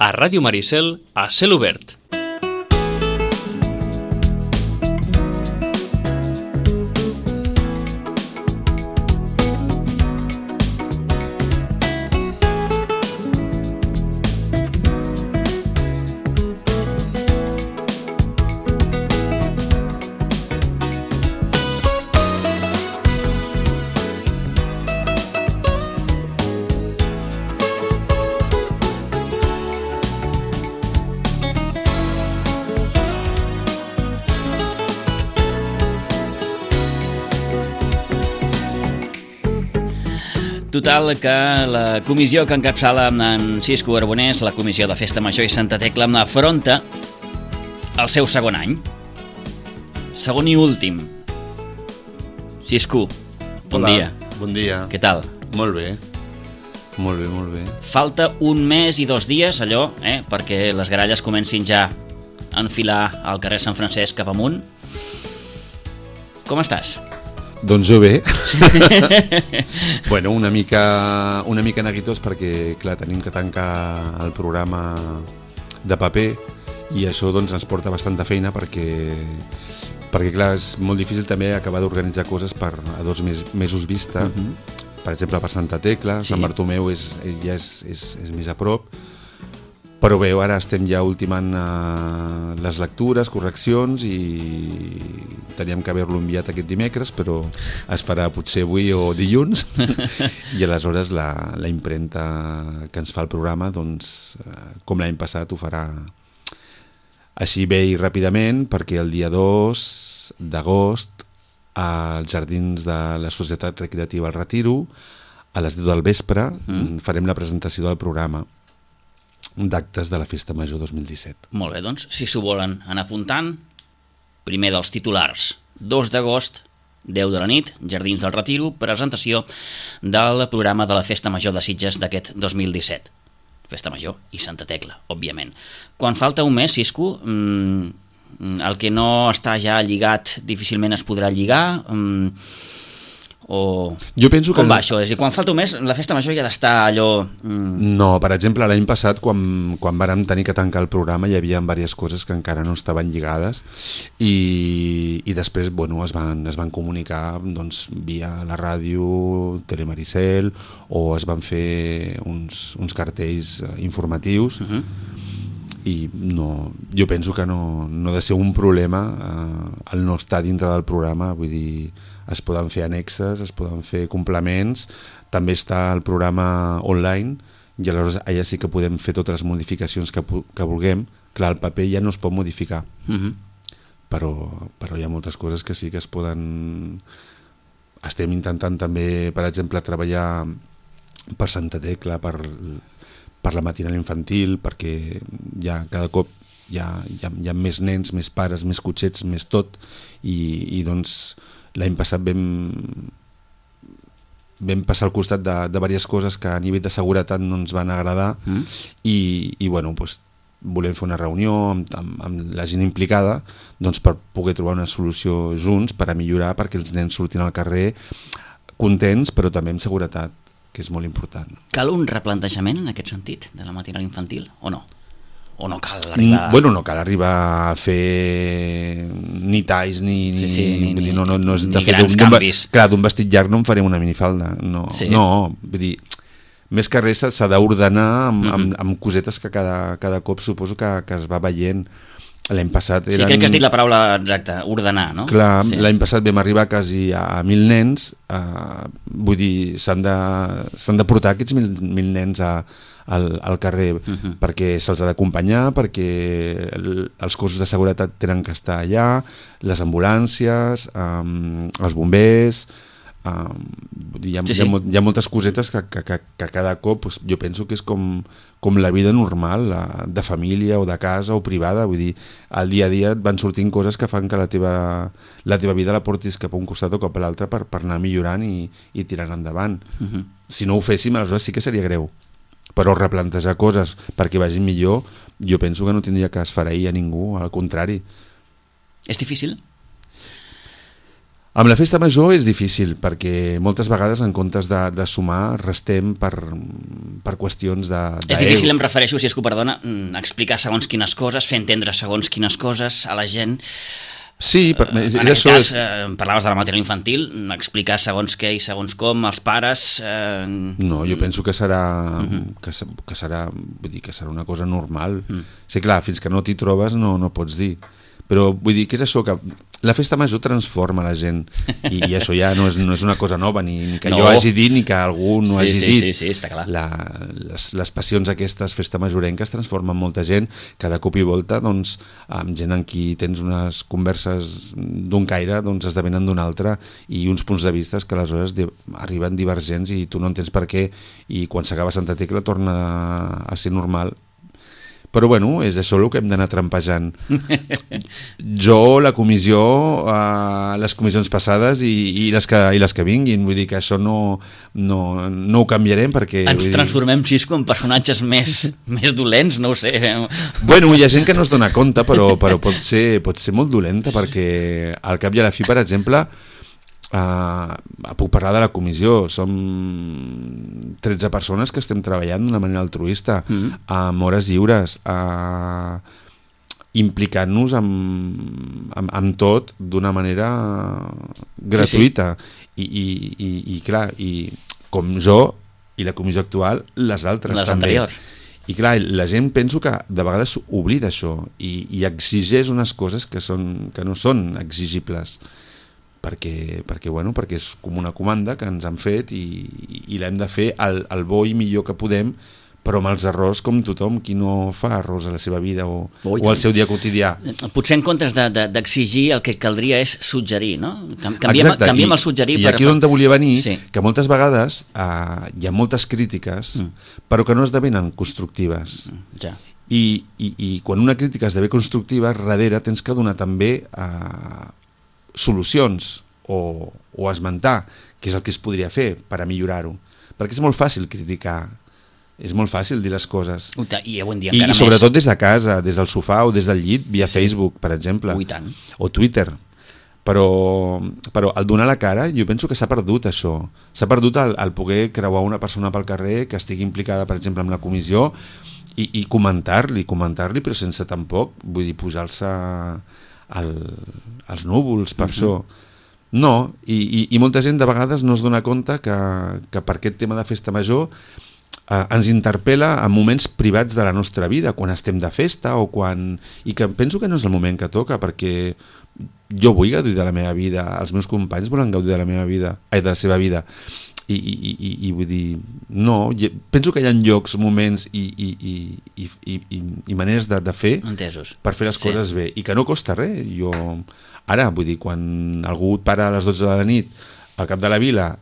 a Ràdio Maricel a cel obert. Total, que la comissió que encapçala en Cisco Arbonès, la comissió de Festa Major i Santa Tecla, afronta el seu segon any. Segon i últim. Cisco, bon dia. Bon dia. Què tal? Molt bé. Molt bé, molt bé. Falta un mes i 2 dies, allò, perquè les garalles comencin ja a enfilar al carrer Sant Francesc cap amunt. Com estàs? Doncs jo bé. Bueno, una mica neguitós perquè, clar, tenim que tancar el programa de paper i això doncs ens porta bastanta feina perquè clar, és molt difícil també acabar d'organitzar coses a 2 mesos vista. Per exemple, per Santa Tecla, sí. Sant Bartomeu ja és més a prop. Però bé, ara estem ja ultimant les lectures, correccions i teníem que haver-lo enviat aquest dimecres, però es farà potser avui o dilluns i aleshores la impremta que ens fa el programa, doncs, com l'any passat, ho farà així bé i ràpidament, perquè el dia 2 d'agost als jardins de la Societat Recreativa El Retiro, a les 10 del vespre, farem la presentació del programa d'actes de la Festa Major 2017. Molt bé, doncs, si s'ho volen anar apuntant, primer dels titulars, 2 d'agost, 10 de la nit, Jardins del Retiro, presentació del programa de la Festa Major de Sitges d'aquest 2017. Festa Major i Santa Tecla, òbviament. Quan falta un mes, Cisco, el que no està ja lligat difícilment es podrà lligar, o jo penso que com va això? És a dir, quan falta un mes la Festa Major ja ha d'estar allò... No, per exemple, l'any passat quan vàrem tenir que tancar el programa hi havia diverses coses que encara no estaven lligades i després bueno, es van comunicar doncs, via la ràdio, Telemaricel, o es van fer uns cartells informatius i no, jo penso que no ha de ser un problema el no estar dintre del programa, vull dir, es poden fer annexes, es poden fer complements, també està el programa online i aleshores allà sí que podem fer totes les modificacions que vulguem. Clar, el paper ja no es pot modificar, però hi ha moltes coses que sí que es poden... Estem intentant també, per exemple, treballar per Santa Tecla, per la matinal infantil, perquè ja cada cop hi ha més nens, més pares, més cotxets, més tot, i doncs l'any passat vam passar al costat de diverses coses que a nivell de seguretat no ens van agradar i bueno, doncs, volem fer una reunió amb la gent implicada doncs, per poder trobar una solució junts per a millorar, perquè els nens surtin al carrer contents però també amb seguretat, que és molt important. Cal un replantejament en aquest sentit de la matinal infantil o no? O no cal arribar... Bueno, no cal arribar a fer ni talls ni grans canvis. Clar, d'un vestit llarg no en farem una minifalda. No, vull dir, més que res s'ha d'ordenar amb cosetes que cada cop suposo que es va veient. L'any passat eren... Sí, crec que has dit la paraula exacta, ordenar, no? Clar, sí. L'any passat vam arribar quasi a 1.000 nens, vull dir, s'han de portar aquests 1.000 nens al carrer perquè se'ls ha d'acompanyar, perquè els cossos de seguretat tenen que estar allà, les ambulàncies, els bombers... Hi ha moltes cosetes que cada cop jo penso que és com la vida normal de família o de casa o privada, vull dir, al dia a dia et van sortint coses que fan que la teva vida la portis cap a un costat o cap a l'altre per anar millorant i tirant endavant. Si no ho féssim, aleshores sí que seria greu, però replantejar coses perquè vagin millor, jo penso que no tindria que esfereir a ningú, al contrari. És difícil? Amb la festa major és difícil, perquè moltes vegades en comptes de sumar, restem per qüestions de... És difícil, em refereixo, si és que ho perdona, explicar segons quines coses, fer entendre segons quines coses a la gent. Sí, en aquest cas, parlaves de la matèria infantil, explicar segons què i segons com, els pares... No, jo penso que serà, que serà, vull dir, que serà una cosa normal. Sí, clar, fins que no t'hi trobes no pots dir. Però vull dir, què és això? Que la festa major transforma la gent i això ja no és una cosa nova, ni que jo hagi dit ni que algú no hagi dit. Sí, està clar. Les passions aquestes, festa majorenques, transformen molta gent, cada cop i volta, doncs, amb gent amb qui tens unes converses d'un caire, doncs esdevenen d'un altre, i uns punts de vista que aleshores arriben divergents i tu no entens per què, i quan s'acaba Santa Tecla torna a ser normal. Però bueno, és això el que hem d'anar trampejant. Jo, la comissió, les comissions passades i les que vinguin, vull dir que això no ho canviarem perquè... Ens transformem, Xisco, en personatges més dolents, no ho sé. Bueno, hi ha gent que no es dona compte, però pot ser molt dolenta, perquè al cap i a la fi, per exemple... puc parlar de la comissió, som 13 persones que estem treballant d'una manera altruista, amb hores lliures, implicant-nos amb tot d'una manera gratuïta. Sí. I clar, i com jo i la comissió actual, les altres les també. Anteriors. I clar, la gent penso que de vegades oblida això i exigeix unes coses que no són exigibles. Perquè és com una comanda que ens han fet i l'hem de fer el bo i millor que podem, però amb els errors com tothom, qui no fa errors a la seva vida o al seu dia quotidià. Potser en comptes d'exigir el que caldria és suggerir, no? Canviem el suggerir. I aquí és on volia venir, sí. Que moltes vegades hi ha moltes crítiques, però que no esdevenen constructives. Ja. I quan una crítica esdevé constructiva, darrere tens que donar també solucions o esmentar què és el que es podria fer per a millorar-ho, perquè és molt fàcil criticar, és molt fàcil dir les coses i avui en dia encara més, sobretot des de casa, des del sofà o des del llit via Facebook, per exemple, o Twitter, però al donar la cara jo penso que s'ha perdut això, s'ha perdut el poder creuar una persona pel carrer que estigui implicada, per exemple, amb la comissió i comentar-li, però sense tampoc, vull dir, posar-se als núvols per això. No, i molta gent de vegades no es dona compte que per aquest tema de festa major ens interpel·la en moments privats de la nostra vida, quan estem de festa o quan... I que penso que no és el moment que toca, perquè jo vull gaudir de la meva vida, els meus companys volen gaudir de la meva vida, de la seva vida, i vull dir, no, penso que hi ha llocs, moments i maneres de fer entesos per fer les coses bé, i que no costa res. Jo, ara, vull dir, quan algú et para a les 12 de la nit al cap de la vila,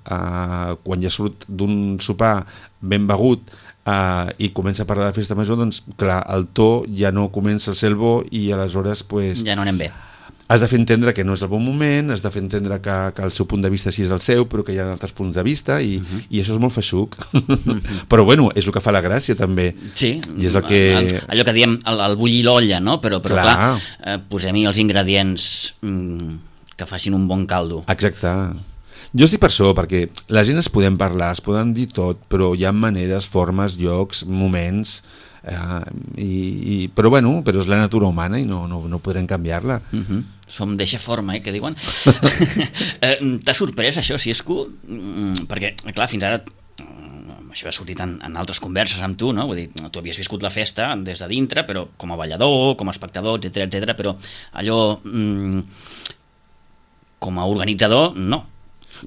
quan ja surt d'un sopar ben begut i comença a parlar de festa major, doncs clar, el to ja no comença a ser el bo i aleshores pues, ja no anem bé. Has de fer entendre que no és el bon moment, has de fer entendre que el seu punt de vista sí és el seu, però que hi ha altres punts de vista i això és molt feixuc. Però bueno, és el que fa la gràcia també. Sí, i és el que... allò que diem el bullir l'olla, no? Però clar, posem-hi els ingredients que facin un bon caldo. Exacte. Jo estic per això, perquè la gent es podem parlar, es poden dir tot, però hi ha maneres, formes, llocs, moments... però bueno, però és la natura humana i no podrem canviar-la. Som d'eixa forma, que diuen. T'ha sorprès això, Xisco? Perquè, clar, fins ara això ha sortit en altres converses amb tu, no? Vull dir, tu havies viscut la festa des de dintre, però com a ballador, com a espectador, etc, però allò com a organitzador, no.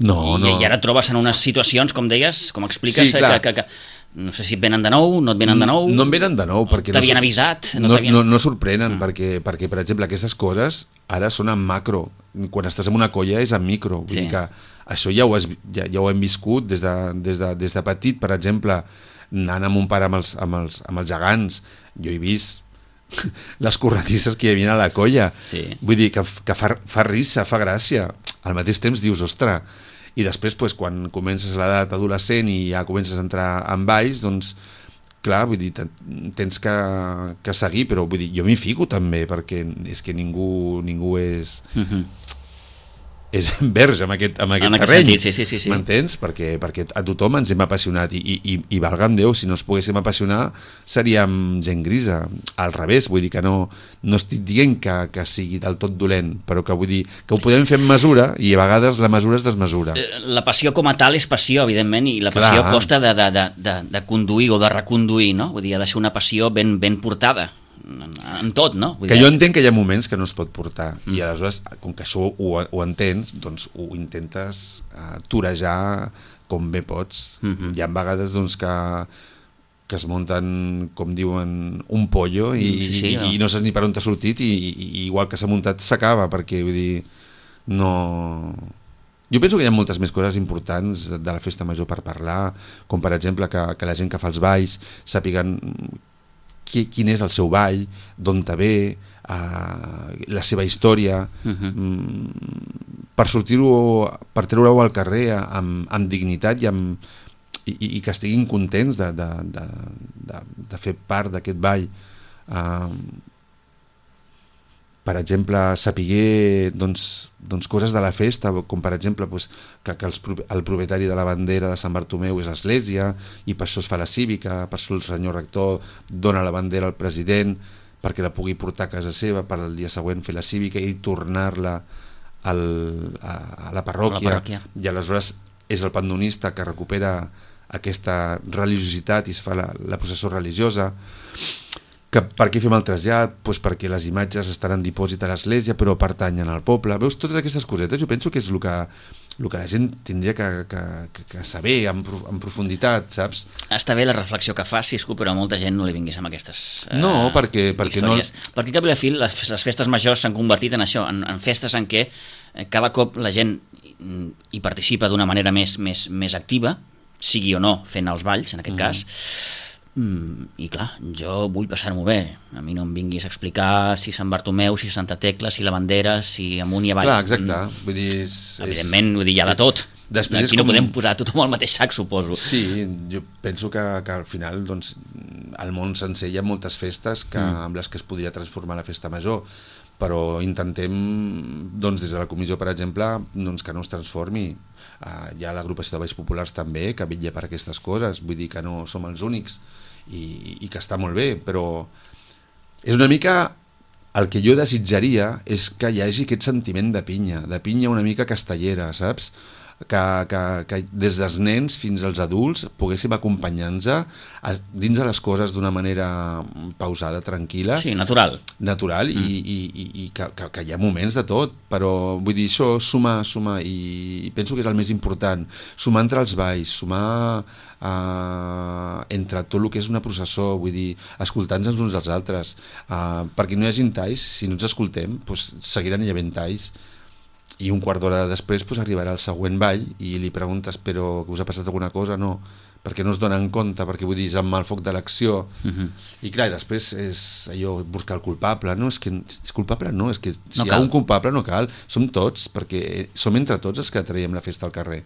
No. I ara et trobes en unes situacions, com deies, com expliques, que no sé si et venen de nou, no et venen de nou... No em venen de nou, perquè... T'havien avisat? No sorprenen, perquè, per exemple, aquestes coses ara són en macro. Quan estàs en una colla és en micro. Vull dir que això ja ho hem viscut des de petit, per exemple, anant amb un pare amb els gegants. Jo he vist les corredisses que hi havia a la colla. Sí. Vull dir que fa risa, fa gràcia. Al mateix temps dius, ostres... I després, pues, quan comences l'edat adolescent i ja comences a entrar en balls, doncs, clar, vull dir, tens que seguir, però vull dir, jo m'hi fico també, perquè és que ningú és... és verge amb aquest terreny. Sentit, sí. M'entens? Perquè a tothom ens hem apassionat i valga'm Déu, si no es poguéssim apassionar seríem gent grisa. Al revés, vull dir que no estic dient que sigui del tot dolent, però que vull dir que ho podem fer amb mesura i a vegades la mesura es desmesura. La passió com a tal és passió, evidentment, i la passió costa de conduir o de reconduir, no? Vull dir, ha de ser una passió ben portada en tot, no? Que jo entenc que hi ha moments que no es pot portar i aleshores, com que això ho entens, doncs ho intentes torejar com bé pots. Hi ha vegades doncs que es munten, com diuen, un pollo i no saps ni per on t'ha sortit i igual que s'ha muntat s'acaba, perquè vull dir, no... Jo penso que hi ha moltes més coses importants de la festa major per parlar, com per exemple que la gent que fa els balls sàpiguen quin és el seu ball, d'on te ve, la seva història, per sortir-ho, per treure-ho al carrer amb dignitat i que estiguin contents de fer part d'aquest ball. Per exemple, sapiguer doncs, coses de la festa, com per exemple que el propietari de la bandera de Sant Bartomeu és l'església i per això es fa la cívica, per això el senyor rector dona la bandera al president perquè la pugui portar a casa seva per el dia següent fer la cívica i tornar-la a la parròquia. I aleshores és el pandonista que recupera aquesta religiositat i es fa la processó religiosa. Que per què fem el trasllat? Pues perquè les imatges estan en dipòsit a l'església però pertanyen al poble. Veus, totes aquestes cosetes jo penso que és el que la gent tindria que saber en profunditat, saps? Està bé la reflexió que fas, Cisco, però a molta gent no li vinguis amb aquestes perquè històries. Perquè cap i a la fi les festes majors s'han convertit en això, en festes en què cada cop la gent hi participa d'una manera més activa, sigui o no fent els balls, en aquest cas. I clar, jo vull passar-m'ho bé, a mi no em vinguis a explicar si Sant Bartomeu, si Santa Tecla, si la bandera, si amunt i avall. Clar, exacte. Vull dir, evidentment, vull dir, hi ha de tot. Aquí no podem posar tothom al mateix sac, suposo. Sí, jo penso que al final doncs, al món sencer hi ha moltes festes amb les que es podria transformar la festa major, però intentem doncs, des de la comissió, per exemple, doncs, que no es transformi. Hi ha l'agrupació de balls populars també que vetlla per aquestes coses, vull dir que no som els únics i que està molt bé, però és una mica el que jo desitjaria és que hi hagi aquest sentiment de pinya una mica castellera, saps? Que des dels nens fins als adults poguéssim acompanyar-nos dins de les coses d'una manera pausada, tranquil·la. Sí, natural. I que hi ha moments de tot, però vull dir, això sumar i penso que és el més important, sumar entre els balls, sumar entre tot el que és una processó, vull dir, escoltant-nos uns als altres, perquè no hi hagi talls, si no ens escoltem, doncs seguiran hi havent talls. I un quart d'hora després arribarà el següent ball i li preguntes però que us ha passat alguna cosa? No, perquè no es donen compte, perquè vull dir, és amb el foc de l'acció. I clar, després és allò, buscar el culpable, no? És que és culpable, no, és que si hi ha un culpable no cal, som tots, perquè som entre tots els que traiem la festa al carrer.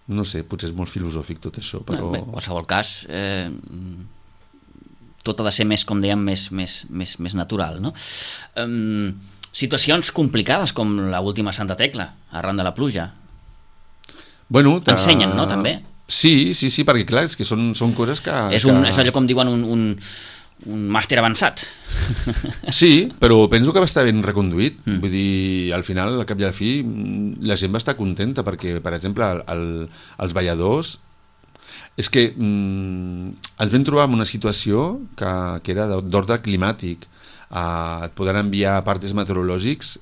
No sé, potser és molt filosòfic tot això, però... Bé, en qualsevol cas, tot ha de ser més, com dèiem, més natural, no? Situacions complicades com l'última Santa Tecla, arran de la pluja. Bueno, ensenyen, no, també? Sí, perquè clar, és que són coses que... És allò com diuen un màster avançat. Sí, però penso que va estar ben reconduït. Vull dir, al final, al cap i al fi, la gent va estar contenta perquè, per exemple, els balladors és que ens vam trobar en una situació que era d'ordre climàtic. Et poden enviar partes meteorològics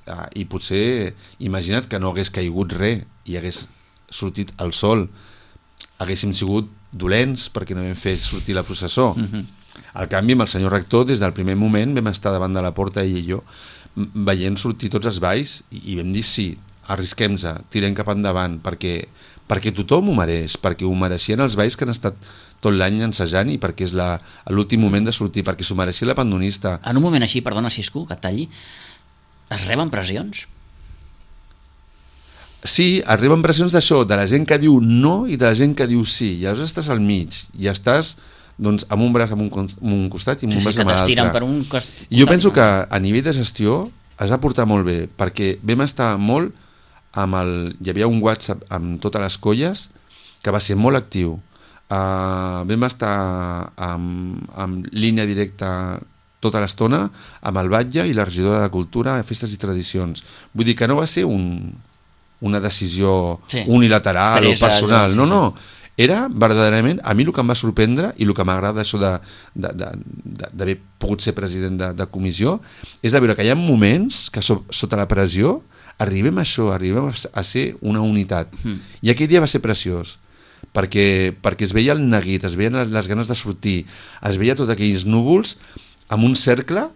i potser, imagina't que no hagués caigut res i hagués sortit el sol, haguéssim sigut dolents perquè no vam fer sortir la processó. Al canvi, amb el senyor rector, des del primer moment vam estar davant de la porta, ell i jo, veient sortir tots els balls i vam dir sí, arrisquem-se, tirem cap endavant perquè tothom ho mereix, perquè ho mereixien els balls que han estat tot l'any ensejant i perquè és l'últim moment de sortir, perquè s'ho mereixia la pandonista. En un moment així, perdona Cisco, que et talli, es reben pressions? Sí, arriben pressions d'això, de la gent que diu no i de la gent que diu sí, i aleshores estàs al mig, i estàs doncs, amb un braç amb un costat i amb un braç amb l'altre. Per un costat. Jo penso que a nivell de gestió es va portar molt bé, perquè vam estar molt amb hi havia un WhatsApp amb totes les colles que va ser molt actiu. Vam estar amb línia directa tota l'estona amb el batlle i la regidora de Cultura, Festes i Tradicions. Vull dir que no va ser una decisió unilateral o personal, no. Era verdaderament, a mi el que em va sorprendre i el que m'agrada això d'haver pogut ser president de comissió és de veure que hi ha moments que sota la pressió arribem a ser una unitat. I aquell dia va ser preciós, perquè es veia el neguit, es veien les ganes de sortir, es veia tots aquells núvols amb un cercle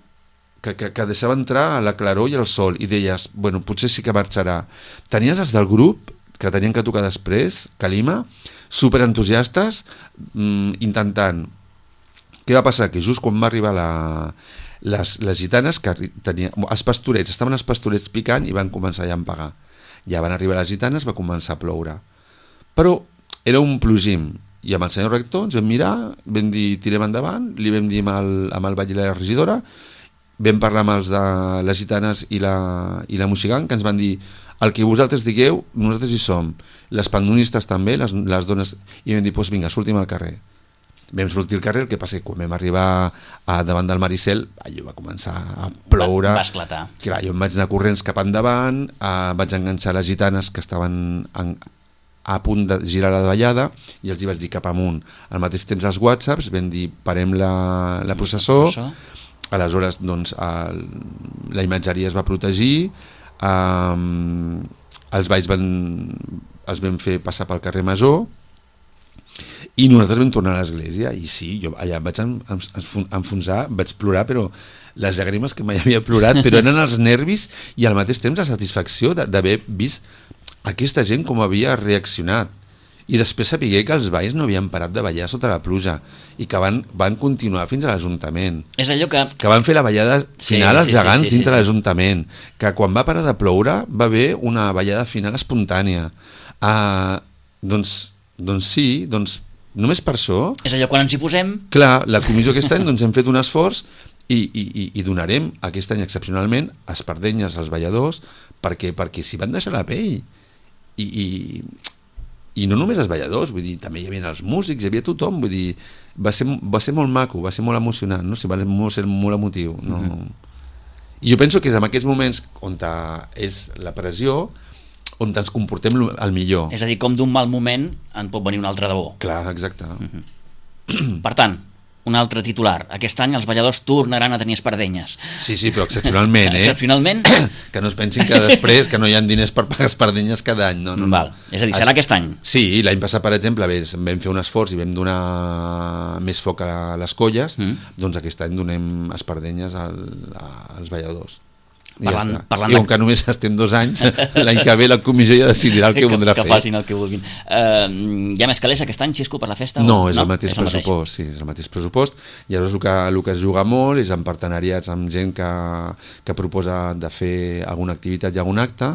que deixava entrar la claror i el sol, i deies, bueno, potser sí que marxarà. Tenies els del grup que tenien que tocar després, Calima, superentusiastes, intentant. Què va passar? Que just quan va arribar les gitanes, que els pastorets, estaven els pastorets picant i van començar ja a empagar. Ja van arribar les gitanes, va començar a ploure. Però era un plogim, i amb el senyor rector ens vam mirar, vam dir tirem endavant, li vam dir amb el batlle i la regidora, vam parlar amb els de les gitanes i la Moixigant, que ens van dir el que vosaltres digueu, nosaltres hi som, les pandonistes també, les dones, i vam dir, doncs vinga, sortim al carrer. Vam sortir al carrer, el que passa que quan vam arribar davant del Maricel, allò va començar a ploure. Va esclatar. Clar, jo em vaig anar corrents cap endavant, vaig enganxar les gitanes que estaven a punt de girar la davallada i els hi vaig dir cap amunt. Al mateix temps els whatsapps, vam dir parem la processó, aleshores doncs la imatgeria es va protegir, els balls els vam fer passar pel carrer Masó i nosaltres vam tornar a l'església, i sí, jo allà vaig enfonsar, vaig plorar, però les llàgrimes que mai havia plorat, però eren els nervis i al mateix temps la satisfacció d'haver vist aquesta gent com havia reaccionat, i després sapigué que els balls no havien parat de ballar sota la pluja i que van continuar fins a l'Ajuntament. És allò que van fer la ballada final als gegants dintre l'Ajuntament, que quan va parar de ploure va haver una ballada final espontània. Doncs sí, només per això... És allò, quan ens hi posem... Clar, la comissió aquest any hem fet un esforç i donarem aquest any excepcionalment espardenyes als balladors perquè s'hi van deixar la pell. I no només els balladors, vull dir, també hi havia els músics, hi havia tothom, vull dir, va ser molt maco, va ser molt emocionant, no? Va ser molt emotiu, no? I jo penso que és en aquests moments on és la pressió, on ens comportem el millor. És a dir, com d'un mal moment en pot venir un altre de bo. Clar, exacte. Per tant, un altre titular. Aquest any els balladors tornaran a tenir espardenyes. Sí, però excepcionalment, Excepcionalment? Que no es pensin que després que no hi ha diners per pagar espardenyes cada any. No. Val. És a dir, serà aquest any? Sí, l'any passat, per exemple, vam fer un esforç i vam donar més foc a les colles, doncs aquest any donem espardenyes als balladors. Parlant I com que només estem 2 anys, l'any que ve la comissió ja decidirà el que voldrà fer. Que facin el que vulguin. Hi ha més calés aquest any, Xisco, per la festa? No, és el mateix pressupost. Sí, és el mateix pressupost. I llavors el que es juga molt és en partenariats amb gent que proposa de fer alguna activitat i algun acte,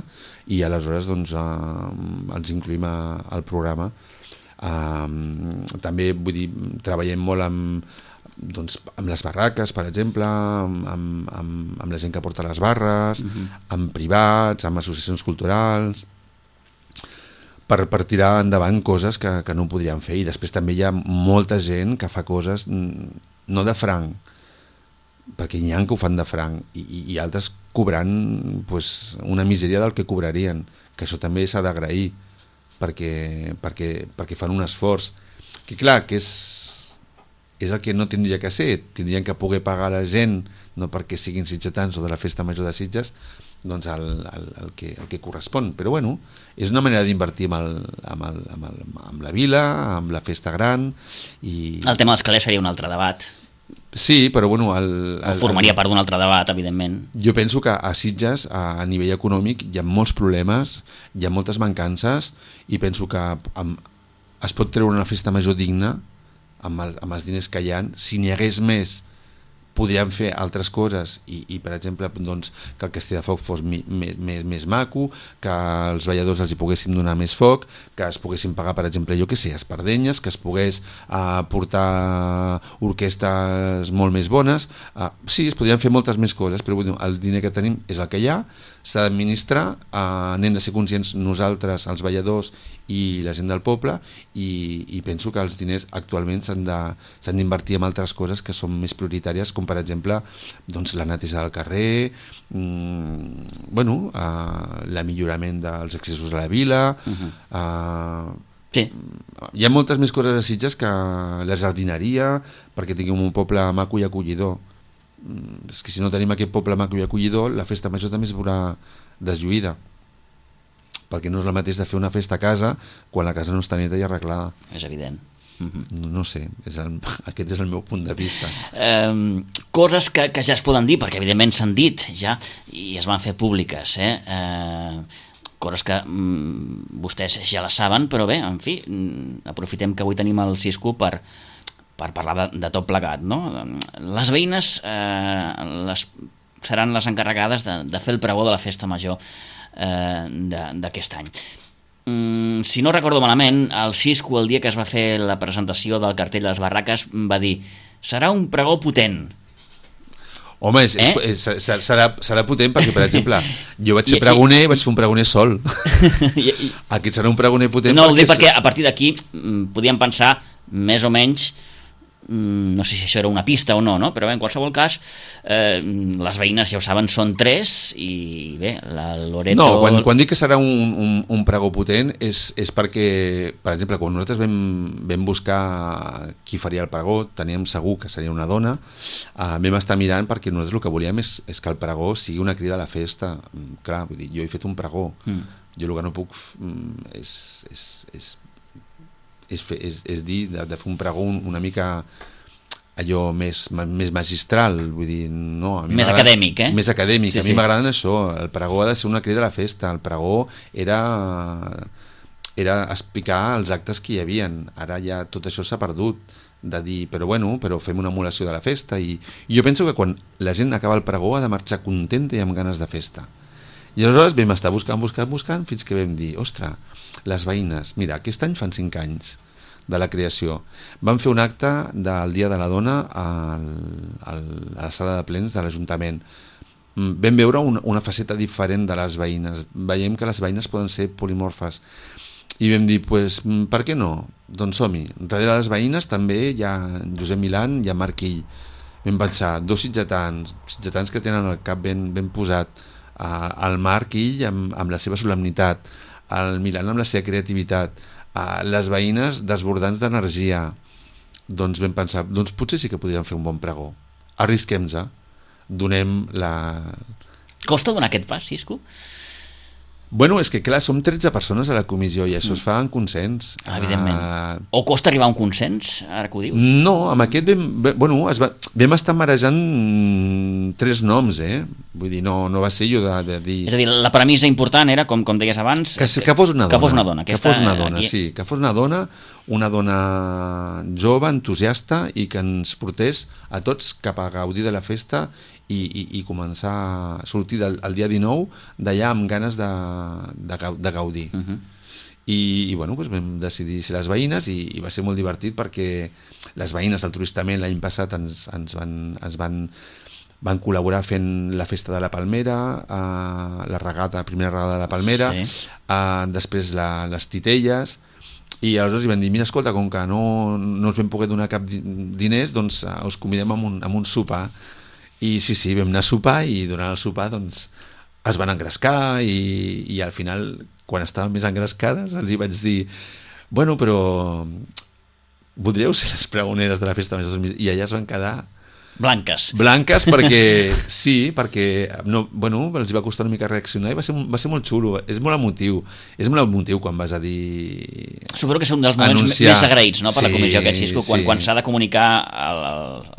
i aleshores doncs, els incluïm al programa. També, vull dir, treballem molt amb les barraques, per exemple, amb la gent que porta les barres, amb privats, amb associacions culturals, per tirar endavant coses que no podríem fer. I després també hi ha molta gent que fa coses no de franc, perquè n'hi ha que ho fan de franc, i altres cobrant una misèria del que cobrarien, que això també s'ha d'agrair, perquè fan un esforç que clar, que és el que no tindria que ser. Tindrien que poder pagar a la gent, no perquè siguin sitgetans o de la festa major de Sitges, doncs el que correspon. Però bueno, és una manera d'invertir amb la vila, amb la festa gran. El tema dels calés seria un altre debat. Sí, però bueno... formaria part d'un altre debat, evidentment. Jo penso que a Sitges, a nivell econòmic, hi ha molts problemes, hi ha moltes mancances, i penso que es pot treure una festa major digna amb els diners que hi ha, si n'hi hagués més podríem fer altres coses i per exemple, doncs, que el castell de foc fos més maco, que els balladors els hi poguéssim donar més foc, que es poguessin pagar, per exemple, jo què sé, espardenyes, que es pogués portar orquestes molt més bones. Sí, es podrien fer moltes més coses, però el diner que tenim és el que hi ha, s'ha d'administrar, n'hem de ser conscients nosaltres, els balladors i la gent del poble, i penso que els diners actualment s'han d'invertir en altres coses que són més prioritàries, com per exemple doncs, la neteja del carrer, l'amillorament dels accessos a la vila. Sí. Hi ha moltes més coses a Sitges que la jardineria, perquè tinguem un poble maco i acollidor. És que si no tenim aquest poble maco i acollidor, la festa major també es veurà deslluïda, perquè no és el mateix de fer una festa a casa quan la casa no està neta i arreglada. És evident. No sé, aquest és el meu punt de vista. Coses que ja es poden dir, perquè evidentment s'han dit ja i es van fer públiques, coses que vostès ja les saben, però bé, en fi, aprofitem que avui tenim el Cisco per parlar de tot plegat, no? Les veïnes seran les encarregades de fer el pregó de la festa major d'aquest any. Si no recordo malament, el Cisco, el dia que es va fer la presentació del cartell de les barraques, va dir: serà un pregó potent. Home, serà potent perquè, per exemple, jo vaig ser pregoner i vaig fer un pregoner sol. Aquest serà un pregoner potent. No, ho dic perquè a partir d'aquí podíem pensar més o menys, no sé si això era una pista o no, però bé, en qualsevol cas les veïnes, ja ho saben, són 3 i bé, la Loreto... No, quan dic que serà un pregó potent és perquè, per exemple, quan nosaltres vam buscar qui faria el pregó, teníem segur que seria una dona, vam estar mirant perquè nosaltres el que volíem és que el pregó sigui una crida a la festa. Clar, vull dir, jo he fet un pregó, jo el que no puc és dir, de fer un pregó una mica allò més magistral, vull dir, no, més acadèmic, més acadèmic, sí, a mi m'agraden això, el pregó ha de ser una crida a la festa, el pregó era explicar els actes que hi havien, ara ja tot això s'ha perdut, de dir, però fem una emulació de la festa, i jo penso que quan la gent acaba el pregó ha de marxar contenta i amb ganes de festa. I aleshores vam estar buscant fins que vam dir, ostres, les veïnes, mira, aquest any fan 5 anys de la creació, van fer un acte del Dia de la Dona a la sala de plens de l'Ajuntament. Vam veure una faceta diferent de les veïnes, veiem que les veïnes poden ser polimorfes i vam dir, per què no? Doncs som-hi. Darrere les veïnes també hi ha Josep Milán i en Marc Ill. Vam pensar, 2 sitgetans que tenen el cap ben posat, el Marc Ill amb la seva solemnitat, el Milán amb la seva creativitat, les veïnes desbordants d'energia. Doncs vam pensar, potser sí que podríem fer un bon pregó. Arrisquem-nos, donem la... Costa donar aquest pas, Cisco? Bueno, és que clar, som 13 persones a la comissió i això es fa en consens. Evidentment. O costa arribar a un consens, ara que ho dius? No, amb aquest vam estar marejant 3 noms, Vull dir, no va ser jo de dir... És a dir, la premissa important era, com deies abans... Que fos una dona. Que fos una dona. Que fos una dona, sí. Que fos una dona jove, entusiasta i que ens portés a tots cap a gaudir de la festa i començar a sortir el dia 19 d'allà amb ganes de gaudir. I bueno, vam decidir ser les veïnes i va ser molt divertit perquè les veïnes del Turistament l'any passat ens van col·laborar fent la festa de la Palmera, la primera regada de la Palmera, després les titelles, i aleshores van dir, mira, escolta, com que no us vam poder donar cap diners, doncs us convidem a un sopar. I sí, vam anar a sopar i durant el sopar doncs es van engrescar i al final, quan estaven més engrescades, els hi vaig dir, bueno, però voldríeu ser les pregoneres de la festa major? I allà es van quedar blanques perquè els va costar una mica reaccionar i va ser molt xulo, és molt emotiu quan vas a dir... Suposo que és un dels moments més agraïts, no, per la comissió aquest, Cisco, quan s'ha de comunicar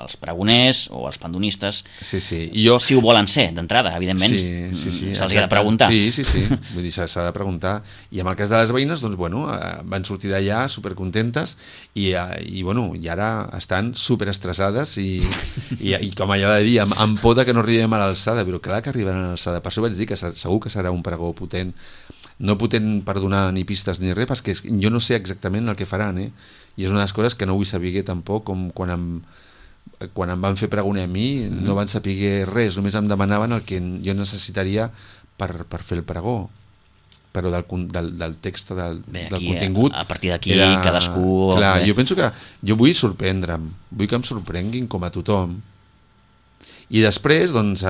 als pregoners o als pandonistes si ho volen ser, d'entrada, evidentment se'ls ha de preguntar. Sí, vull dir, s'ha de preguntar, i en el cas de les veïnes doncs van sortir d'allà supercontentes i ara estan superestressades i I com allò de dir, amb por de que no arribem a l'alçada, però clar que arribaran a l'alçada. Per això vaig dir que segur que serà un pregó potent. No potent per donar ni pistes ni res, perquè jo no sé exactament el que faran, I és una de les coses que no vull saber tampoc, com quan em van fer pregoner a mi, no van saber res, només em demanaven el que jo necessitaria per fer el pregó, però del text, del contingut. A partir d'aquí cadascú... Clar, jo penso que jo vull sorprendre'm, vull que em sorprenguin com a tothom. I després, doncs...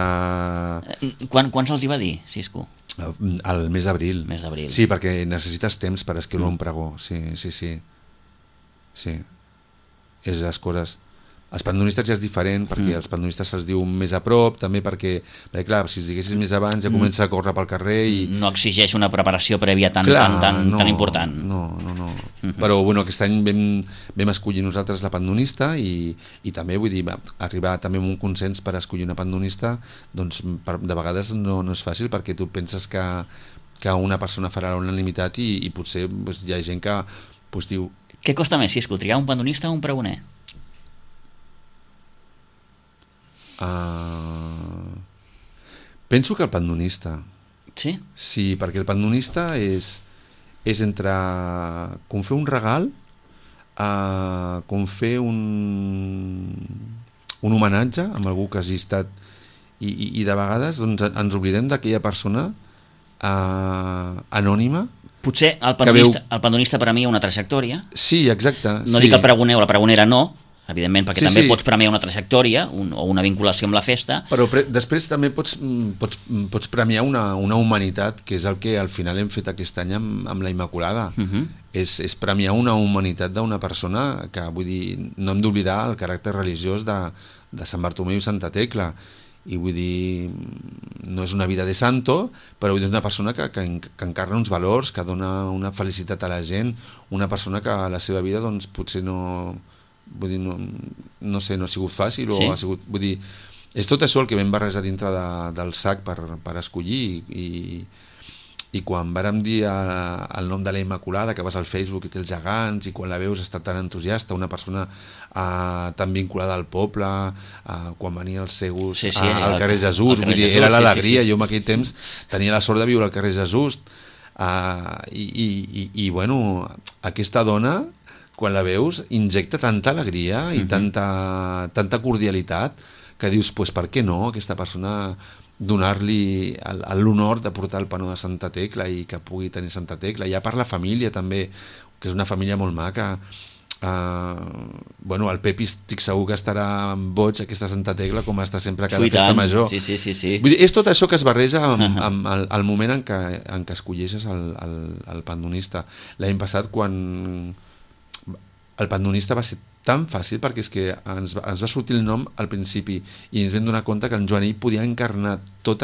Quan se'ls hi va dir, Cisco? Al mes d'abril. Sí, perquè necessites temps per escriure un pregó. Sí. És les coses... Els pandonistes ja és diferent, perquè els pandonistes se'ls diu més a prop, també perquè clar, si els diguessis més abans ja comença a córrer pel carrer i... No exigeix una preparació prèvia tan important. No. Però bueno, aquest any vam escollir nosaltres la pandonista i també, vull dir, arribar també a un consens per escollir una pandonista, doncs de vegades no és fàcil, perquè tu penses que una persona farà la unanimitat i potser doncs, hi ha gent que diu... Què costa més, Cisco, triar un pandonista o un pregoner? Penso que el pandonista. Sí? Sí, perquè el pandonista és entre com fer un regal, com fer un homenatge amb algú que hagi estat i de vegades doncs, ens oblidem d'aquella persona anònima. Potser el pandonista per a mi una trajectòria. Sí, exacte. No dic el pregoner o la pregonera no, evidentment, perquè també pots premiar una trajectòria o una vinculació amb la festa. Però després també pots premiar una humanitat, que és el que al final hem fet aquest any amb la Immaculada. És premiar una humanitat d'una persona que, vull dir, no hem d'oblidar el caràcter religiós de Sant Bartomeu i Santa Tecla. I vull dir, no és una vida de santo, però és una persona que encarna uns valors, que dona una felicitat a la gent, una persona que a la seva vida doncs, potser no... Vull dir, no sé, no ha sigut fàcil o ha sigut, vull dir, és tot això el que vam barrejar dintre del sac per escollir i quan vàrem dir el nom de la Immaculada, que vas al Facebook i té els gegants i quan la veus està tan entusiasta, una persona tan vinculada al poble, quan venia els seus al carrer Jesús, vull dir, era l'alegria. Jo en aquell temps tenia la sort de viure al carrer Jesús i bueno, aquesta dona, quan la veus, injecta tanta alegria i tanta cordialitat que dius, pues, per què no aquesta persona donar-li l'honor de portar el panó de Santa Tecla i que pugui tenir Santa Tecla. Ja per la família també, que és una família molt maca. Bueno, el Pepi estic segur que estarà boig aquesta Santa Tecla com està sempre a cada festa major. Sí. Vull dir, és tot això que es barreja amb el moment en què escolleixes el pandonista. L'any passat, quan el pandonista va ser tan fàcil, perquè és que ens va sortir el nom al principi i ens vam donar compte que en Joanell podia encarnar tot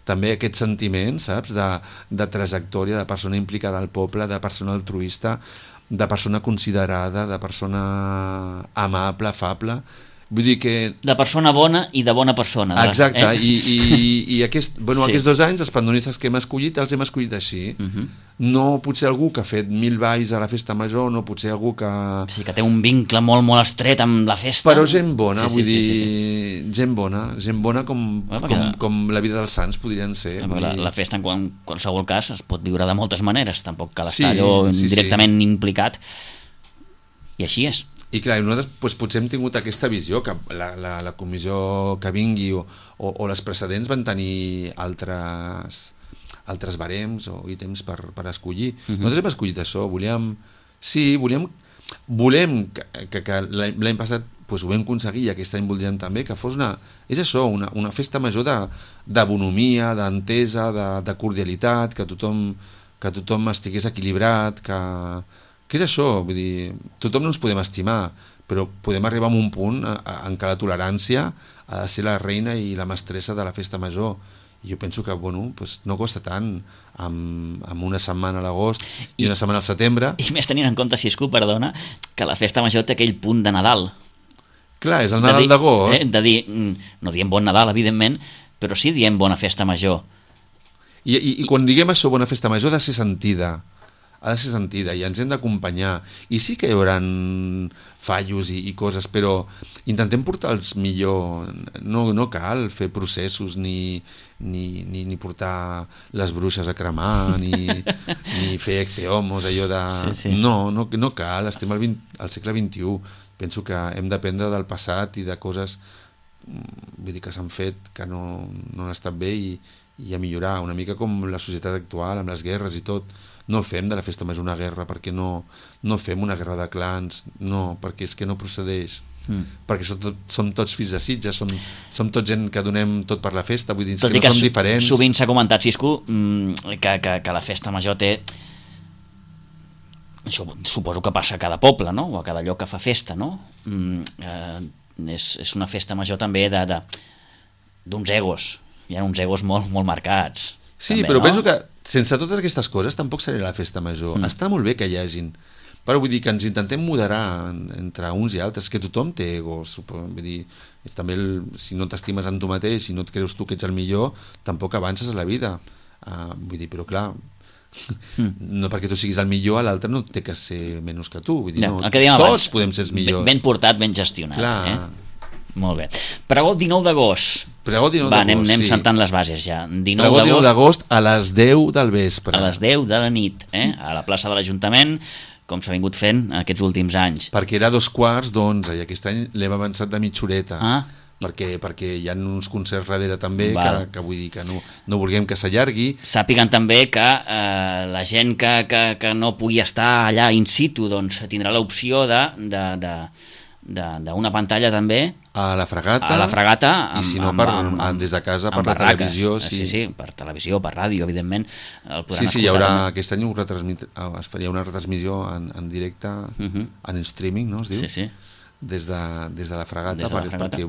també aquest sentiment, saps, de trajectòria, de persona implicada al poble, de persona altruista, de persona considerada, de persona amable, afable. Vull dir que... De persona bona i de bona persona. Exacte, i aquests 2 anys els pandonistes que hem escollit els hem escollit així. No potser algú que ha fet 1000 balls a la festa major, no potser algú que... Sí, que té un vincle molt, molt estret amb la festa. Però gent bona, vull dir, gent bona com la vida dels sants podrien ser. La festa en qualsevol cas es pot viure de moltes maneres, tampoc cal estar allò directament implicat, i així és. I clar, nosaltres potser hem tingut aquesta visió que la comissió que vingui o les precedents van tenir altres barems o ítems per escollir. Nosaltres hem escollit això, volem que l'any passat ho vam aconseguir i aquest any voldríem també que fos és això, una festa major de bonomia, d'entesa, de cordialitat, que tothom estigués equilibrat, que és això, vull dir, tothom no ens podem estimar, però podem arribar a un punt en què la tolerància ha de ser la reina i la mestressa de la festa major. I jo penso que no costa tant amb una setmana a l'agost i una setmana al setembre. I més tenint en compte, Cisco, perdona, que la festa major té aquell punt de Nadal. Clar, és el Nadal d'agost. De dir, no diem bon Nadal, evidentment, però sí diem bona festa major. I quan diguem això, bona festa major, ha de ser sentida. ha de ser sentida i ens hem d'acompanyar. I sí que hi haurà fallos i coses, però intentem portar-los millor. No cal fer processos ni portar les bruixes a cremar, ni fer ecceomos, allò de... Sí. No cal, estem al segle XXI. Penso que hem d'aprendre del passat i de coses que s'han fet que no han estat bé i a millorar, una mica com la societat actual, amb les guerres i tot. No fem de la festa major una guerra, perquè no fem una guerra de clans, no, perquè és que no procedeix. Perquè som tots fills de Sitges, som tots gent que donem tot per la festa, vull dir que no som diferents. Sovint s'ha comentat, Cisco, que la festa major té... Això suposo que passa a cada poble, no? O a cada lloc que fa festa, no? És una festa major també d'uns egos. Hi ha uns egos molt marcats. Sí, també, però penso que sense totes aquestes coses tampoc seria la festa major. Està molt bé que hi hagin, però vull dir que ens intentem moderar entre uns i altres, que tothom té egos. Vull dir, també si no t'estimes en tu mateix, si no et creus tu que ets el millor, tampoc avances a la vida. Vull dir, però clar, no perquè tu siguis el millor, l'altre no té que ser menys que tu. Vull dir, tots podem ser els millors. Ben portat, ben gestionat. Molt bé. Pregó el 19 d'agost. Anem sentant les bases ja. 19 d'agost a les 10 del vespre. A les 10 de la nit, a la plaça de l'Ajuntament, com s'ha vingut fent aquests últims anys. Perquè era 2:45 i aquest any l'hem avançat de mitja horeta. Perquè hi ha uns concerts darrere també que vull dir que no vulguem que s'allargui. Sàpiguen també que la gent que no pugui estar allà in situ doncs tindrà l'opció d'una pantalla també a la Fragata i si no des de casa per la televisió. Sí, per televisió, per ràdio, evidentment el podran escoltar. Hi haurà, aquest any es faria una retransmissió en directe, en streaming, no es diu? Sí. Des de la Fragata, perquè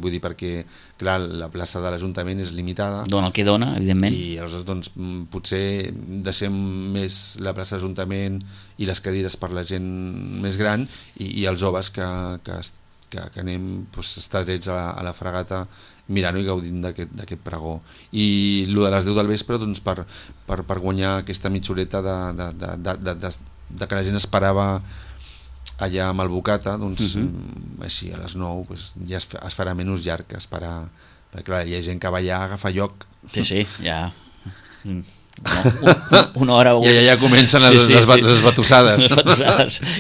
clar, la plaça de l'Ajuntament és limitada, dona el que dona, evidentment, i aleshores doncs, potser deixem més la plaça de l'Ajuntament i les cadires per la gent més gran i els joves que anem estar drets a la Fragata mirant-ho i gaudint d'aquest pregó. I el de les 10 del vespre doncs, per guanyar aquesta mitja horeta de que la gent esperava allà amb el Bocata, doncs així a les 9 ja es farà menys llarg que esperar, perquè clar, hi ha gent que va allà a agafar lloc. Sí, ja una hora ja comencen les batussades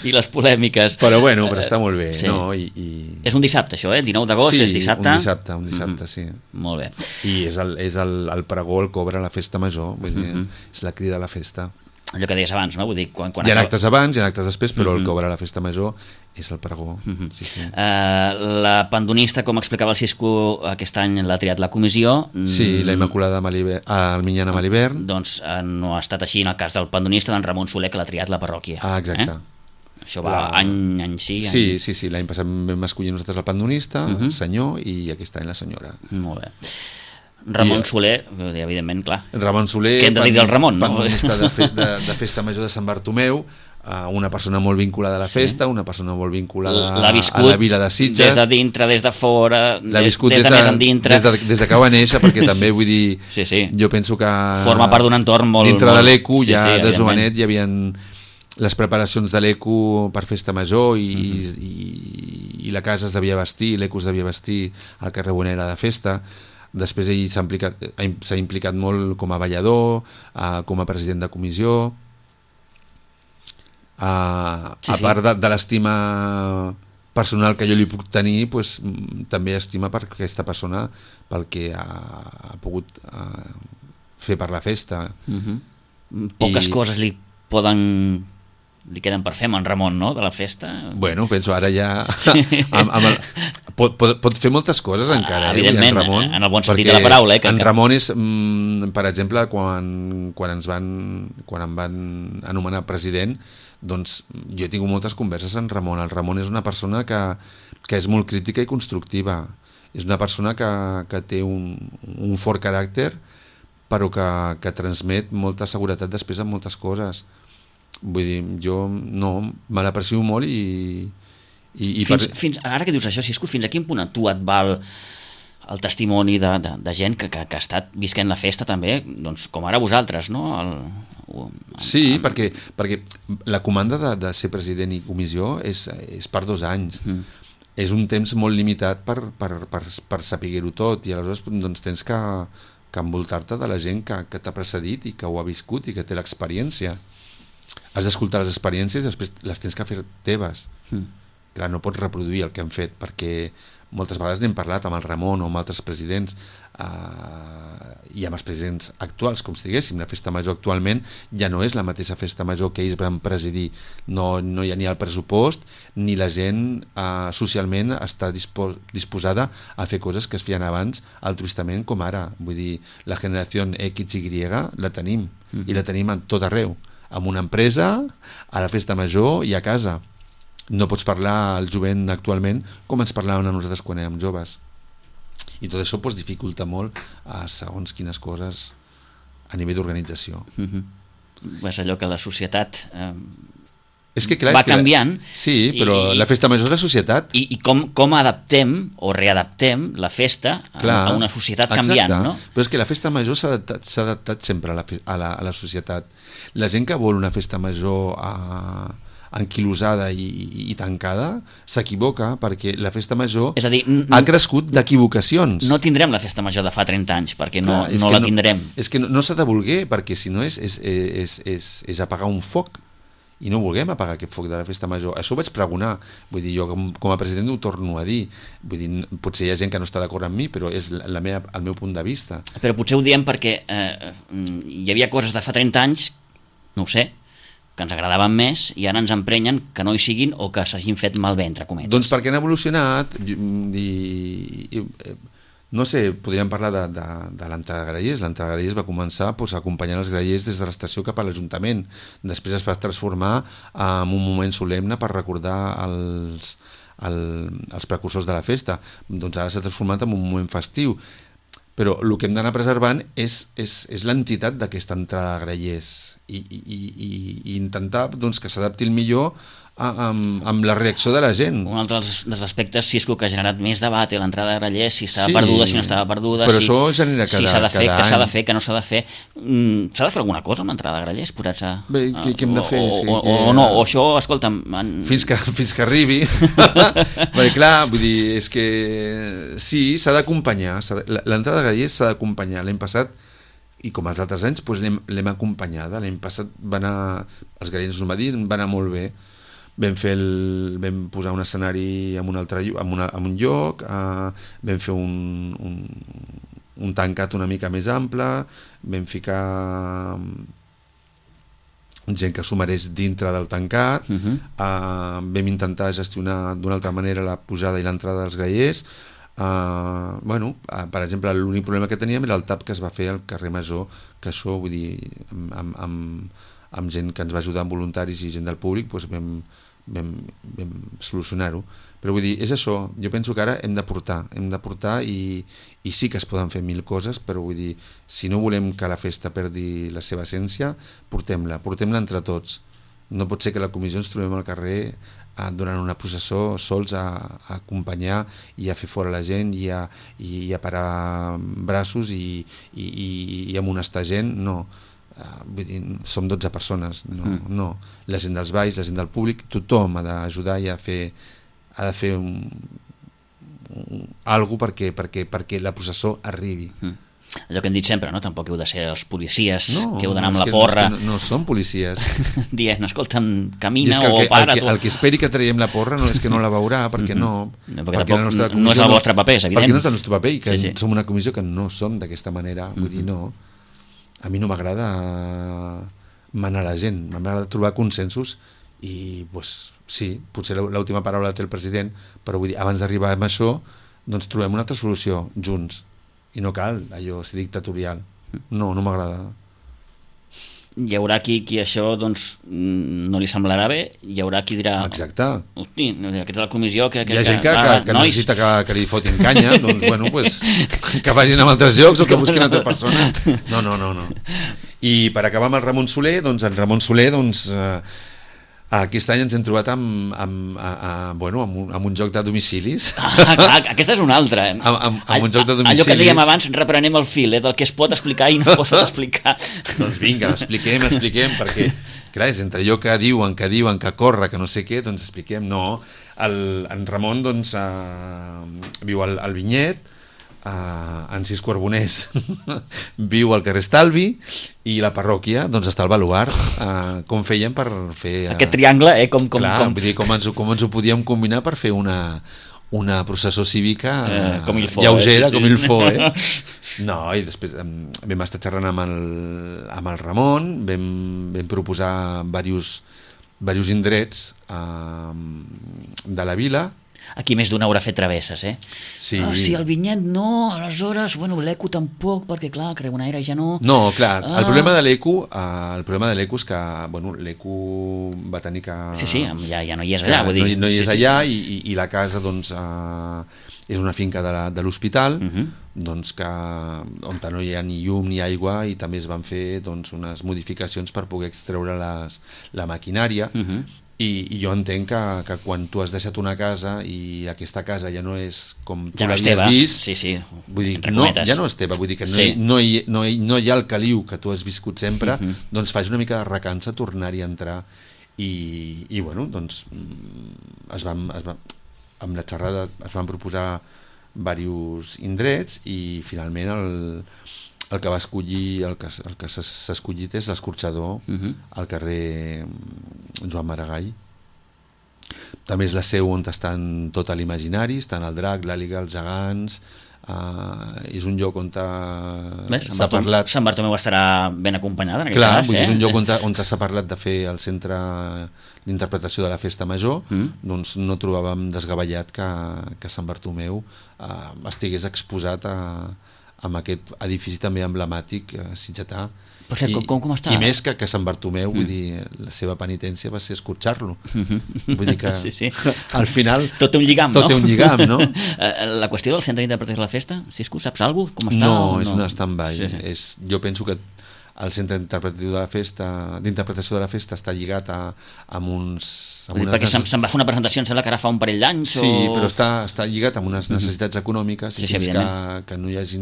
i les polèmiques, però està molt bé, no? És un dissabte això, 19 d'agost, és dissabte? Un dissabte, sí. Molt bé. I és el pregó, el cobra a la festa major, vull dir, és la crida a la festa. Allò que deies abans, no? Vull dir, quan hi ha actes abans, hi ha actes després, però el cobra a la festa major és el pregó. La pandonista, com explicava el Cisco, aquest any l'ha triat la comissió. Sí, la Immaculada Alminyana Malibern. Doncs no ha estat així en el cas del pandonista d'en Ramon Soler, que l'ha triat la parròquia. Exacte. Això va any sí. Sí, l'any passat vam escollir nosaltres el pandonista, el senyor, i aquest any la senyora. Molt bé. Ramon Soler, evidentment, clar. Ramon Soler, què hem de dir del Ramon, no? Pandonista de festa major de Sant Bartomeu, una persona molt vinculada a la festa, una persona molt vinculada a la vila de Sitges. Des de dintre, des de fora, des de més endintre. Des que va néixer, perquè també vull dir, jo penso que forma part d'un entorn molt... Dintre de l'ECO, ja de jovenet hi havia les preparacions de l'ECO per festa major i la casa es devia vestir, l'ECO es devia vestir al carrer Bonera de festa. Després ell s'ha implicat molt com a ballador, com a president de comissió, a part de l'estima personal que jo li puc tenir, també estima per aquesta persona pel que ha pogut fer per la festa. Poques coses li queden per fer amb en Ramon, no?, de la festa. Bueno, penso ara ja... Pot fer moltes coses encara, evidentment, Ramon, en el bon sentit de la paraula. En Ramon és, per exemple, quan em van anomenar president, doncs jo he tingut moltes converses amb Ramon. El Ramon és una persona que és molt crítica i constructiva. És una persona que té un fort caràcter, però que transmet molta seguretat després en moltes coses. Vull dir, jo me l'aprecio molt i fins ara que dius això, Cisco, fins a quin punt a tu et val el testimoni de gent que ha estat visquent la festa també, doncs, com ara vosaltres, no? Sí, perquè la comanda de ser president i comissió és per 2 anys. És un temps molt limitat per saber-ho tot, i aleshores doncs, tens que envoltar-te de la gent que t'ha precedit i que ho ha viscut i que té l'experiència. Has d'escoltar les experiències i després les tens que fer teves. Clar, no pots reproduir el que han fet, perquè moltes vegades n'hem parlat amb el Ramon o amb altres presidents i amb els presidents actuals, com si diguéssim. La festa major actualment ja no és la mateixa festa major que ells van presidir. No hi ha ni el pressupost ni la gent socialment està disposada a fer coses que es feien abans altruistament com ara. Vull dir, la generació XY la tenim, i la tenim a tot arreu, amb una empresa, a la festa major i a casa. No pots parlar al jovent actualment com ens parlaven a nosaltres quan érem joves, i tot això pues, dificulta molt a segons quines coses a nivell d'organització. És allò que la societat és que, clar, va canviant. Sí, però la festa major és la societat. I com adaptem o readaptem la festa a una societat canviant, no? Però és que la festa major s'ha adaptat sempre a la societat. La gent que vol una festa major anquilosada i tancada s'equivoca, perquè la festa major ha crescut d'equivocacions. No tindrem la festa major de fa 30 anys, perquè no la tindrem. És que no s'ha de voler, perquè si no és apagar un foc, i no volguem apagar aquest foc de la festa major. Això ho vaig pregonar, vull dir, jo com a president ho torno a dir, vull dir, potser hi ha gent que no està d'acord amb mi, però és el meu punt de vista. Però potser ho diem perquè hi havia coses de fa 30 anys, no ho sé, que ens agradaven més, i ara ens emprenyen que no hi siguin o que s'hagin fet malbé, entre cometes. Doncs perquè han evolucionat, no sé, podríem parlar de l'entrada de grallers. L'entrada de grallers va començar acompanyant els grallers des de l'estació cap a l'Ajuntament. Després es va transformar en un moment solemne per recordar els precursors de la festa. Doncs ara s'ha transformat en un moment festiu. Però el que hem d'anar preservant és l'entitat d'aquesta entrada de grallers i intentar doncs, que s'adapti el millor amb la reacció de la gent. Un altre dels aspectes, si és que ha generat més debat l'entrada de grallers, si estava perduda, si no estava perduda, però això genera si s'ha de fer, què s'ha de fer, què no s'ha de fer. S'ha de fer alguna cosa amb l'entrada de grallers? Bé, què hem de fer? O no, o això, escolta'm... Fins que arribi. Perquè clar, vull dir, és que sí, s'ha d'acompanyar. L'entrada de grallers s'ha d'acompanyar. L'any passat, i com els altres anys, l'hem acompanyada. L'any passat els grallers us ho va dir, va anar molt bé. Vam posar un escenari en un lloc, vam fer un tancat una mica més ample, vam ficar gent que s'ho mereix dintre del tancat, vam intentar gestionar d'una altra manera la pujada i l'entrada dels grallers. Per exemple, l'únic problema que teníem era el tap que es va fer al carrer Major, que això, vull dir, amb gent que ens va ajudar, amb voluntaris i gent del públic, doncs vam solucionar-ho. Però vull dir, és això, jo penso que ara hem de portar i sí que es poden fer 1000 coses, però vull dir, si no volem que la festa perdi la seva essència, portem-la entre tots. No pot ser que la comissió ens trobem al carrer durant una processó sols a acompanyar i a fer fora la gent i a parar braços i amonestar gent. No, vull dir, som 12 persones, no. La gent dels balls, la gent del públic, tothom ha d'ajudar i ha de fer alguna cosa perquè la processó arribi. Allò que hem dit sempre, no? Tampoc heu de ser els policies que heu d'anar amb la porra. No són policies. Dient, escolta'm, camina o para. El que esperi que traiem la porra no és que no la veurà, perquè no. Perquè no és el vostre paper, és evident. Perquè no és el nostre paper i que som una comissió que no som d'aquesta manera. Vull dir, no. A mi no m'agrada manar la gent, m'agrada trobar consensos i, sí, potser l'última paraula té el president, però vull dir, abans d'arribar a això, doncs trobem una altra solució junts. I no cal allò ser dictatorial. No m'agrada. Hi haurà qui això doncs, no li semblarà bé, hi haurà qui dirà... Exacte. Hosti, aquesta és la comissió que... Hi ha gent que necessita que li fotin canya, doncs, que vagin a altres llocs o que busquin altres persones. No. I per acabar amb el Ramon Soler, doncs en Ramon Soler Aquest any ens hem trobat amb un joc de domicilis. Clar, aquesta és una altra. Amb un joc de domicilis. Allò que dèiem abans, reprenem el fil, del que es pot explicar i no es pot explicar. Doncs vinga, expliquem, perquè, clar, és entre allò que diuen, que corre, que no sé què, doncs expliquem, no. En Ramon, doncs, viu al Vinyet, en Cis Carboners viu al carrer Estalvi i la parròquia doncs està al Baluard. Com fèiem per fer aquest triangle, com... Vull dir, com ens ho podíem combinar per fer una processó cívica lleugera, com il fo, No, i després vam estar xerrant amb el Ramon, vam proposar diversos indrets de la vila. Aquí més d'una haurà fet travesses, Sí. Si el Vinyet no, aleshores, l'Eco tampoc, perquè clar, Cregonaire ja no... No, clar, el problema de l'Eco és que, l'Eco va tenir que... Sí, ja no hi és allà, vull dir... No hi és allà i la casa, doncs, és una finca de l'hospital, doncs on no hi ha ni llum ni aigua i també es van fer doncs, unes modificacions per poder extreure la maquinària. I jo entenc que quan tu has deixat una casa i aquesta casa ja no és com tu l'havies vist, vull dir, ja no és teva, vull dir que no hi ha el caliu que tu has viscut sempre, doncs fas una mica de recança tornar-hi a entrar i doncs amb la xerrada es van proposar diversos indrets i finalment el que va escollir, el que s'ha escollit és l'escorxador al carrer Joan Maragall. També és la seu on estan tot l'Imaginari, estan el drac, l'àliga, els gegants, és un lloc on s'ha parlat... Sant Bartomeu estarà ben acompanyada en aquest cas. És un lloc on s'ha parlat de fer el centre d'interpretació de la Festa Major, doncs no trobàvem desgavellat que Sant Bartomeu estigués exposat amb aquest edifici també emblemàtic sitgetà. Per cert, com està? I més que Sant Bartomeu, vull dir, la seva penitència va ser escorxar-lo. Vull dir que al final... Tot té un lligam, no? Tot té un lligam, no? La qüestió del centre d'interpretació de la festa, Cisco, saps alguna cosa? Com està? No, és una stand-by. Jo penso que el centre d'interpretació de la festa està lligat amb uns... Perquè se'n va fer una presentació, em sembla que ara fa un parell d'anys. Sí, però està lligat amb unes necessitats econòmiques i fins que no hi hagi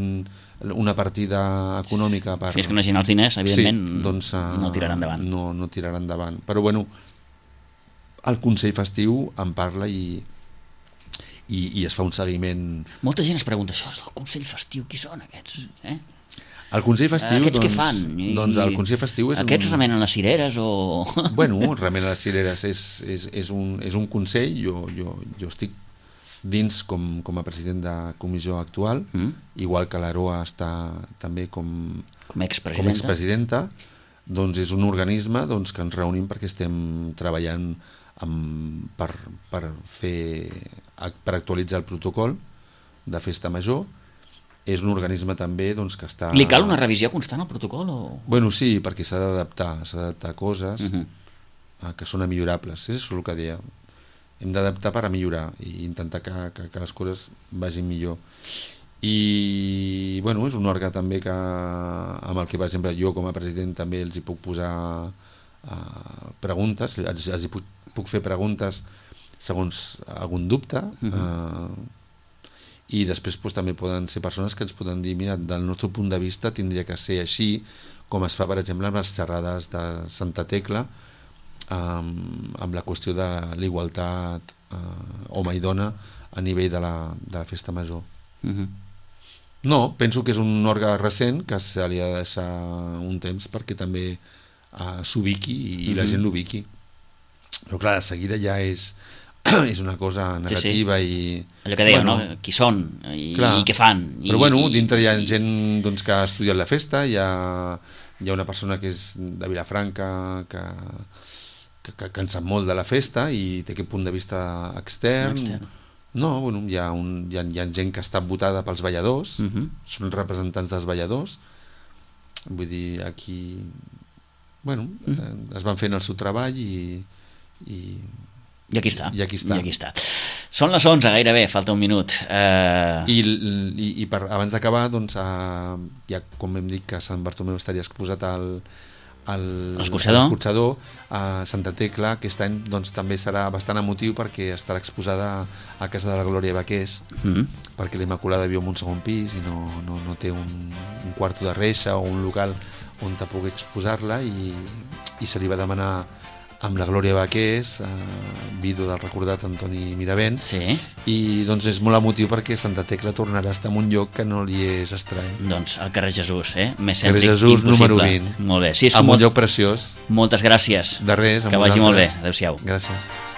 una partida econòmica fins que no hi hagi els diners, evidentment, doncs, no tirarà endavant. No tirarà endavant. Però bueno, el Consell Festiu en parla i es fa un seguiment. Molta gent es pregunta, això és del Consell Festiu, qui són aquests? El Consell Festiu, aquests què fan? Doncs el Consell Festiu és aquests remenen les cireres o...? Remenen les cireres és un consell, jo estic dins com a president de comissió actual, igual que l'Aroa està també com expresidenta, doncs és un organisme que ens reunim perquè estem treballant per actualitzar el protocol de Festa Major. És un organisme també que està... Li cal una revisió constant al protocol? Sí, perquè s'ha d'adaptar coses que són millorables, és el que deia. Hem d'adaptar per a millorar i intentar que les coses vagin millor. I és un òrgan també amb el que, per exemple, jo com a president també els hi puc posar preguntes, els hi puc fer preguntes segons algun dubte, i després també poden ser persones que ens poden dir, mira, del nostre punt de vista tindria que ser així, com es fa, per exemple, amb les xerrades de Santa Tecla, amb la qüestió de l'igualtat home i dona a nivell de la Festa Major. No, penso que és un òrgan recent que se li ha de deixar un temps perquè també s'ubiqui i la gent l'ubiqui. Però clar, de seguida ja és una cosa negativa i... Allò que dèiem, no? Qui són i què fan. Però dintre hi ha gent que ha estudiat la festa, hi ha una persona que és de Vilafranca que en sap molt de la festa i té aquest punt de vista extern. No, hi ha gent que està votada pels balladors, són representants dels balladors, vull dir, aquí es van fent el seu treball i aquí està. Són les 11 gairebé, falta un minut. I abans d'acabar, ja com hem dit que Sant Bartomeu estaria exposat l'escorxador a Santa Tecla. Aquest any doncs, també serà bastant emotiu perquè estarà exposada a Casa de la Glòria Baquers, perquè la Immaculada viu en un segon pis i no té un quarto de reixa o un local on te pugui exposar-la, i se li va demanar amb la Glòria Baquers, vídua del recordat Antoni Miravent, i doncs és molt emotiu perquè Santa Tecla tornarà a estar en un lloc que no li és estrany. Doncs al carrer Jesús, més carrer cèntric Jesús, impossible. número 20. Molt bé. Sí, és en un lloc preciós. Moltes gràcies. De res, que vagi molt bé. Adéu-siau. Gràcies.